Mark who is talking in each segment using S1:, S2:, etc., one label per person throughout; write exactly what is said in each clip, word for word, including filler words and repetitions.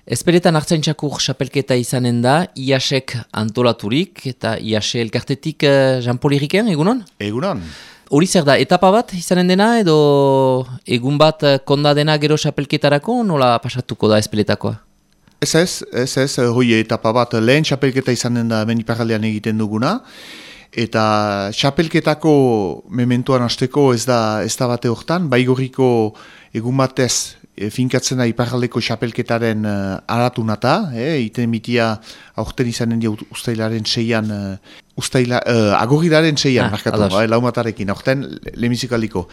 S1: Ezpeletan Artzaintzakur xapelketa izanen da, I A S-ek antolaturik, eta I A S elkartetik uh, Jean-Paul Iriken, egunon?
S2: Egunon.
S1: Hori zer da, etapa bat izanen dena, edo egun bat konda dena gero xapelketarako, nola pasatuko da ezpeletakoa?
S2: Ez ez, ez ez, hoi etapa bat lehen xapelketa izanen da hemen iparraldean egiten duguna, eta xapelketako mementoan hasteko ez da, ez da bate hortan, baigorriko egun batez, E, finkatzen da iparraldeko xapelketaren uh, aratunata, e, iten mitia aurten izanen dia ustailaren seian, uh, ustaila, uh, agorrilaren seian, ah, markatu, eh, laumatarekin, aurten lemizikaldiko.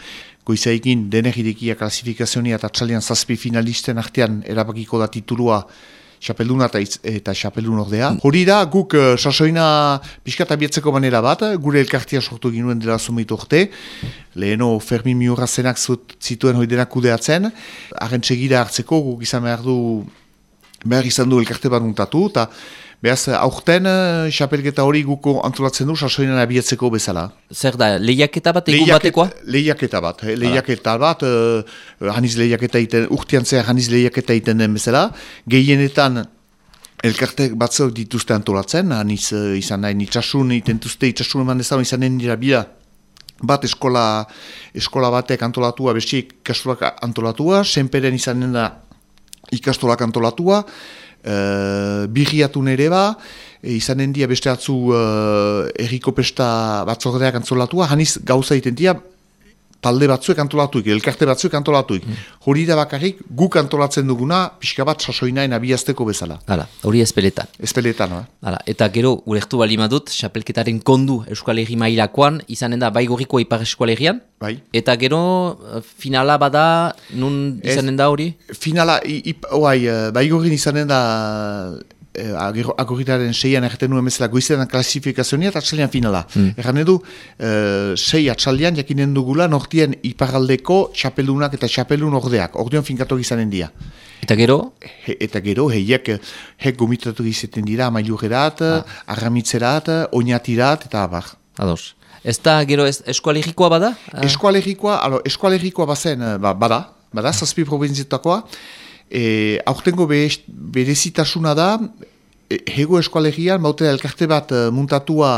S2: Goizaikin deneridekia klasifikazionia eta txalian zazpi finalisten artean erabakiko da titulua xapelduna eta xapeldun ordea. Hori da, guk uh, sasoina pixkat abietzeko manera bat, gure elkartia sortu ginuen dela zumeitu orte, leheno Fermin Miurrazenak zituen hori denak kudeatzen, haren txegira hartzeko guk izan behar du, behar izan du elkarte bat muntatu, eta behaz, aurten xapelketa hori guko antolatzen du sasoinan abietzeko bezala.
S1: Zer da, lehiaketa bat egun batekoa?
S2: Lehiaketa bat, eh, lehiaketa bat, uh, haniz lehiaketa iten, urtean zehar haniz lehiaketa iten den bezala, gehienetan elkarte batzuk dituzte antolatzen, haniz uh, izan nahi itxasun, itentuzte itxasun eman dezaun izanen dira bila, bat eskola, eskola batek antolatua, besti ikastolak antolatua, senperen izanen da ikastolak antolatua, Uh, birriatun ere ba, e, izanen dia beste atzu uh, erriko pesta batzordeak antzolatua, haniz gauza itentia talde batzuek antolatuik, elkarte batzuek antolatuik. Mm. Hori da bakarrik guk antolatzen duguna pixka bat sasoinaen abiazteko bezala.
S1: Hala, hori ezpeletan.
S2: Ezpeletan, no?
S1: Hala, eta gero, ulertu bali madut, xapelketaren kondu Euskal Herri mailakoan, izanen da baigorrikoa Ipar Euskal Herrian,
S2: bai. Eta
S1: gero, finala bada, nun izanen da hori?
S2: Finala, oai, baigorrin izanen da Eh, agorritaren seian erraten nuen bezala goizetan klasifikazionia eta atxalian finala. Mm. Erran edu, eh, sei atxalian jakinen dugula nortien iparraldeko xapeldunak eta xapeldun ordeak. Ordean finkatok izanen dira.
S1: Eta gero?
S2: He, eta gero, heiek hek gomitatu izaten dira amailugerat, ah. arramitzerat, oinatirat, eta abar.
S1: Ados. Ez da gero ez, eskualegikoa bada?
S2: Eskualegikoa, alo, eskualegikoa bazen, ba, bada, bada, zazpi provinzietakoa. E, aurtengo berezitasuna da, e, hego eskualegian, baute elkarte bat e, muntatua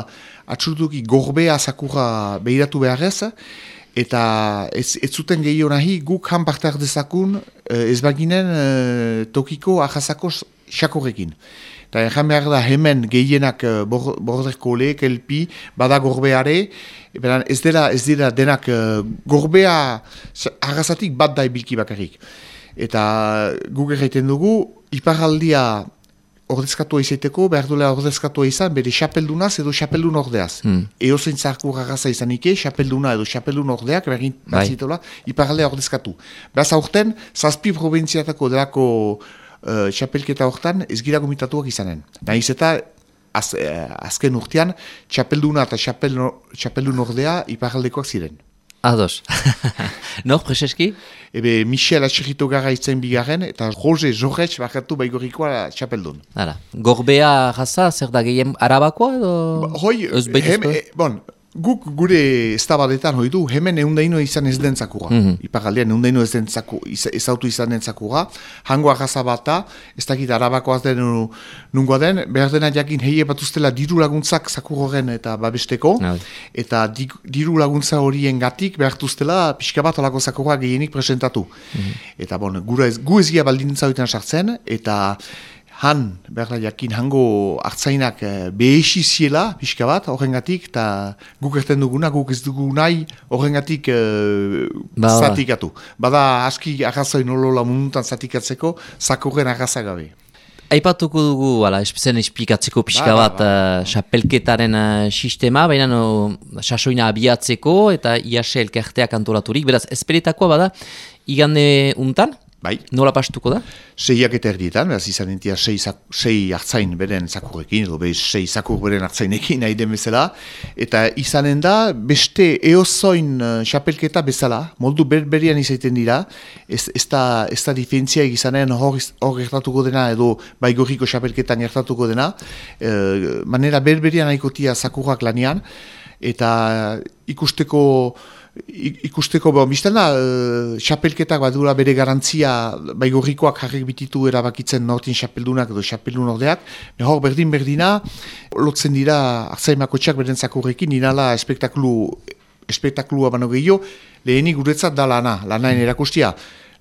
S2: atxurtuki gorbea zakurra behiratu beharrez, eta ez, ez zuten gehiago nahi guk han parte ardezakun e, ez baginen e, tokiko ahazako xakorrekin. Eta erran behar da hemen gehienak e, borderko lehek, elpi, bada gorbeare, ez dira, ez dira denak e, gorbea ahazatik bat da ibilki bakarrik. Eta guk egiten dugu, iparraldia ordezkatua izaiteko, behar duela ordezkatua izan, bere xapeldunaz edo xapeldun ordeaz. Hmm. Eo zein zarkur agaza izan ike, xapelduna edo xapeldun ordeak, bergin batzitola, iparraldea ordezkatu. Beraz aurten, zazpi provintziatako delako uh, xapelketa hortan ez gira gomitatuak izanen. Nahiz eta az, eh, azken urtean, xapelduna eta xapeldun ordea iparraldekoak ziren.
S1: Ados. Nor, Prezeski?
S2: Ebe, Michel Atxerrito gara itzen bigarren, eta Roge Jorretx bakatu baigorikoa txapeldun.
S1: Hala. Gorbea raza, zer da gehien arabakoa edo?
S2: Hoi, hem, e, bon, guk gure estabadetan hoi du, hemen eundaino izan ez den zakura. Mm-hmm. Iparaldean eundaino ez den zakura, ez autu izan den zakura. Hango arraza bata, ez dakit arabakoaz den nungoa den, behar dena jakin heie batuztela diru laguntzak zakurroren eta babesteko, no. Eta di, diru laguntza horien gatik behartuztela pixka bat olako zakura gehienik presentatu. Mm-hmm. Eta bon, gura ez, gu ezgia baldintza horietan sartzen, eta han, behar jakin, hango hartzainak eh, behesiziela, pixka bat, horrengatik, eta guk erten duguna, guk ez dugu nahi, horrengatik eh, ba, zatikatu. Bada, aski arrazoin olola mundutan zatikatzeko, zakurren arraza gabe.
S1: Aipatuko dugu, ala, zen esplikatzeko pixka ba, bat, xapelketaren ba, ba. uh, sistema, baina no, sasoina abiatzeko, eta I A S elkarteak antolaturik, beraz, esperetakoa bada, igande untan?
S2: Bai.
S1: Nola pastuko da?
S2: Seiak eta erdietan, beraz izan entia sei, sei hartzain beren zakurrekin, edo bez sei zakur beren hartzainekin nahi den bezala, eta izanen da beste eozoin xapelketa bezala, moldu berberian izaiten dira, ez, ez da, da difentzia izanen hor, hor gertatuko dena, edo baigorriko xapelketan gertatuko dena, e, manera berberian haikotia zakurrak lanian, eta ikusteko ikusteko, bon, bizten da, uh, xapelketak badura bere garantzia, baigorrikoak jarrik bititu erabakitzen nortin xapeldunak edo xapeldun ordeak, hor berdin-berdina, lotzen dira Artzaimakotxeak beren zakurrekin, inala espektakulu, espektakulua bano gehiago, lehenik guretzat da lana, lanaen erakustia.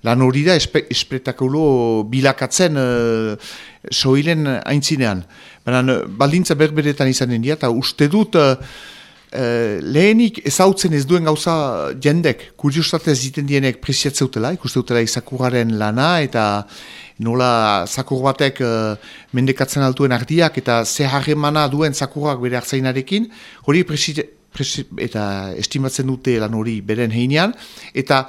S2: Lan hori da espe, espektakulo bilakatzen uh, soilen aintzinean. Baina baldintza berberetan izanen dira, eta uste dut, Uh, lehenik ezautzen ez duen gauza jendek, kuriostatez egiten dienek preziatzeutela, ikusteutela izakurraren lana, eta nola zakur batek uh, mendekatzen altuen ardiak, eta ze harremana duen zakurrak bere hartzainarekin, hori presi, presi, eta estimatzen dute lan hori beren heinean, eta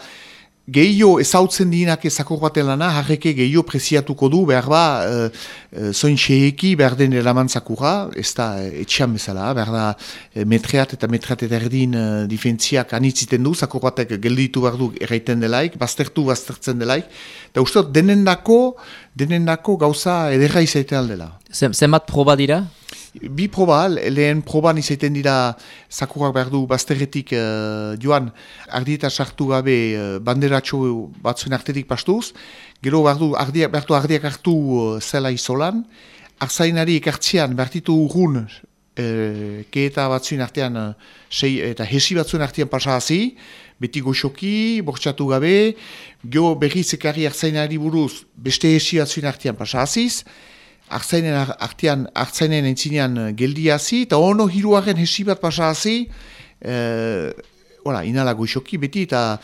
S2: gehio ezautzen dienak zakur baten lana, harreke gehio preziatuko du, behar ba, uh, uh, zoin xeeki behar den eraman zakurra, ez da uh, etxean bezala, behar da uh, metreat eta metreat eta erdin uh, difentziak anitziten du, zakur batek gelditu behar du erraiten delaik, baztertu baztertzen delaik, eta uste denendako, denendako gauza ederra izaiten aldela.
S1: Zenbat proba dira?
S2: Bi proba, lehen proban izaiten dira zakurrak behar du bazterretik uh, joan ardieta sartu gabe uh, banderatxo batzuen artetik pastuz, gero behar du ardiak, behar du ardiak hartu uh, zela izolan, arzainari ekartzean behar ditu urrun uh, keeta batzuen artean uh, sei, eta hesi batzuen artean pasahazi, beti goxoki, bortxatu gabe, gero berriz ekarri arzainari buruz beste hesi batzuen artean pasahaziz, Artzainen artean, artzainen entzinean geldiazi, eta ono hiruaren hesi bat pasahazi, e, inala goxoki beti, eta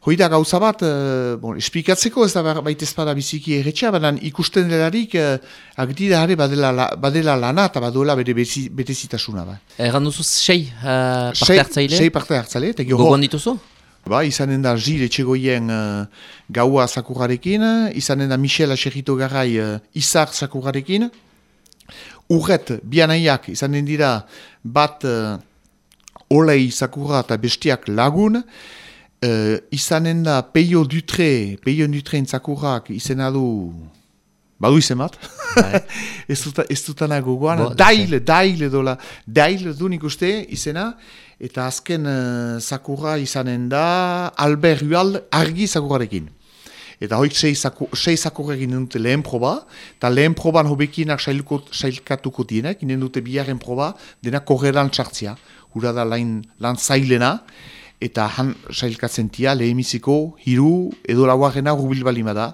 S2: hoi da gauza bat, e, bon, esplikatzeko ez da baita ezpada biziki erretxea, baina ikusten delarik, e, agdi da badela, badela lana eta baduela bere betezitasuna. Ba.
S1: Erran duzu sei uh, parte hartzaile?
S2: Sei parte hartzaile.
S1: Gogoan dituzu?
S2: Ba, izanen da Gil Etxegoien uh, gaua zakurrarekin, izanen da Michel Aserrito Garai uh, Izar zakurrarekin, urret, bianaiak izanen dira bat uh, olei zakurra eta bestiak lagun, uh, izanen da Peio Dutre, Peio Dutre zakurrak izena du, badu izen bat, ez, duta, ez dutana gogoan, dail, dail edola, dail du nik uste izena, eta azken uh, zakurra izanen da Albert Hual argi zakurrarekin. Eta hoik sei, zaku, sei zakurrekin dute lehen proba, eta lehen proban hobekinak sailkatuko dienek, inen dute biaren proba, dena korreran txartzia. Hura da lan, lan zailena, eta han sailkatzen tia lehemiziko hiru edo lauarena rubil balima da,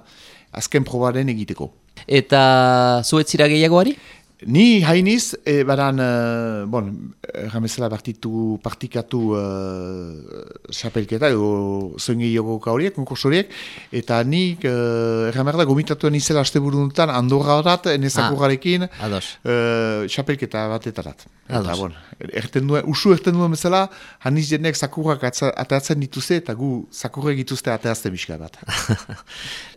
S2: azken probaren egiteko.
S1: Eta zuetzira gehiagoari?
S2: Ni hainiz, e, baran, uh, bon, ramezela partitu, partikatu xapelketa, uh, edo zoin gehiago horiek, konkursoriek, eta nik, uh, ramerda, gomitatuan izela aste buruntan, Andorra horat, enezakurrarekin, xapelketa uh, batetarat. Eta, bon, erten duen, usu erten duen bezala, haniz jenek zakurrak atatzen dituzte, eta gu zakurrek dituzte ataazte bizka bat.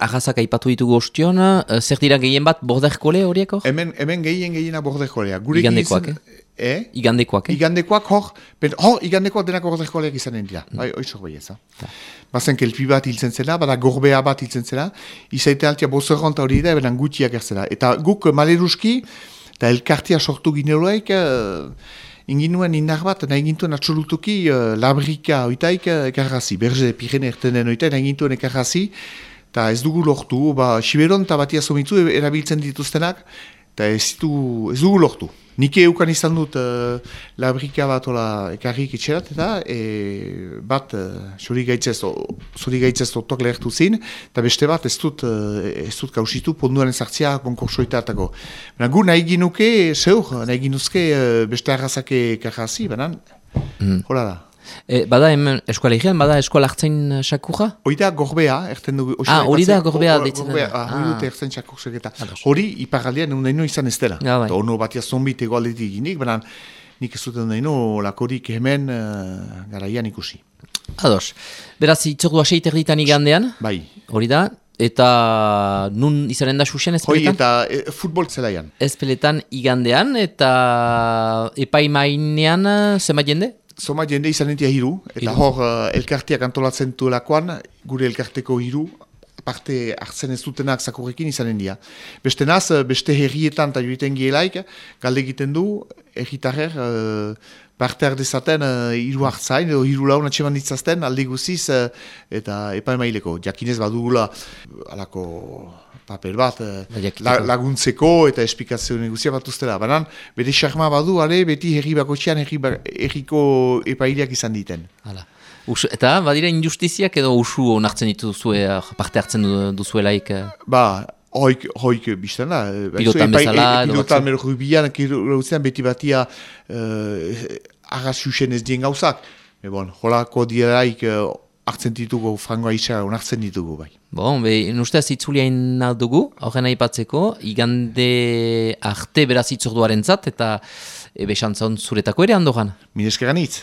S1: Arrazak aipatu ditugu ostion, uh, zer dira gehien bat borderkole horieko?
S2: Hemen, hemen gehien gehiena bordekolea.
S1: Igandekoak, eh?
S2: Eh?
S1: Igandekoak, eh?
S2: Igandekoak, hor, ben, hor, igandekoak denak bordekoleak izanen dira. Mm. Bai, oizok bai ez, ha? Bazen kelpi bat hiltzen zela, bada gorbea bat hiltzen zela, izaite altia bozerronta hori da, ebenan gutiak ertzela. Eta guk maleruski, eta elkartia sortu gineloaik, uh, inginuen indar bat, nahi gintuen atxolutuki uh, labrika oitaik uh, ekarrazi, berze Pirene ertenen oitaik, nahi gintuen ekarrazi, eta ez dugu lortu, ba, Siberon eta batia zomitzu erabiltzen dituztenak, eta ez, ez dugu lortu. Nik eukan izan dut uh, labrika bat ola ekarrik etxerat, eta e, bat zuri uh, gaitzez otok lehertu zin, eta beste bat ez dut, uh, ez dut kausitu ponduaren zartzia konkursoitatako. Gu nahi ginuke, zeur, nahi ginuzke uh, beste arrazake ekarrazi, banan, mm. hola da.
S1: E, bada hemen eskualegian, bada eskual hartzain sakurra?
S2: Hori da gorbea, erten dugu.
S1: Ah, hori da gorbea ditzen.
S2: Gorbea, hori dute ertzen sakursek. Hori iparaldean nahi izan ez dela.
S1: Ja, bai.
S2: Ono batia zombit egoaldetik ginik, baina nik ez duten nahi lakorik hemen uh, garaian ikusi.
S1: Ados. Beraz, itzordua seiter ditan igandean?
S2: Bai.
S1: Hori da. Eta nun izanen da xuxen ezpeletan?
S2: Hoi, eta e, futbol zelaian.
S1: Ezpeletan igandean, eta epaimainean zema jende?
S2: Zoma jende izanen tia hiru, eta hiru. Hor uh, elkarteak antolatzen duelakoan, gure elkarteko hiru, parte hartzen ez dutenak zakurrekin izanen dira. Beste naz, beste herrietan eta joiten gielaik, galde egiten du, herritarrer uh, parte hardezaten uh, hiru hartzain, edo hiru laun atseman ditzazten, alde guziz, uh, eta epaemaileko. Jakinez badugula, alako paper bat, uh, la, laguntzeko eta esplikazio neguzia bat ustela. Banan, bere xarma badu, ale, beti herri bakotxean herriko epaileak izan diten.
S1: Hala. Us, eta, badira injustiziak edo usu onartzen dituzue, parte hartzen duzuelaik?
S2: Ba, hoik, hoik biztan da.
S1: Pilotan bezala?
S2: E, e, pilotan mero rubian, kirauzean beti batia uh, arrazusen ez dien gauzak. E bon, holako diaraik uh, hartzen ditugu, frangoa isa onartzen ditugu bai.
S1: Bon, be, nustez itzuliain dugu, horren aipatzeko, igande arte beraz itzorduaren zat, eta ebe xantzon zuretako ere handogan.
S2: Mineskeran hitz.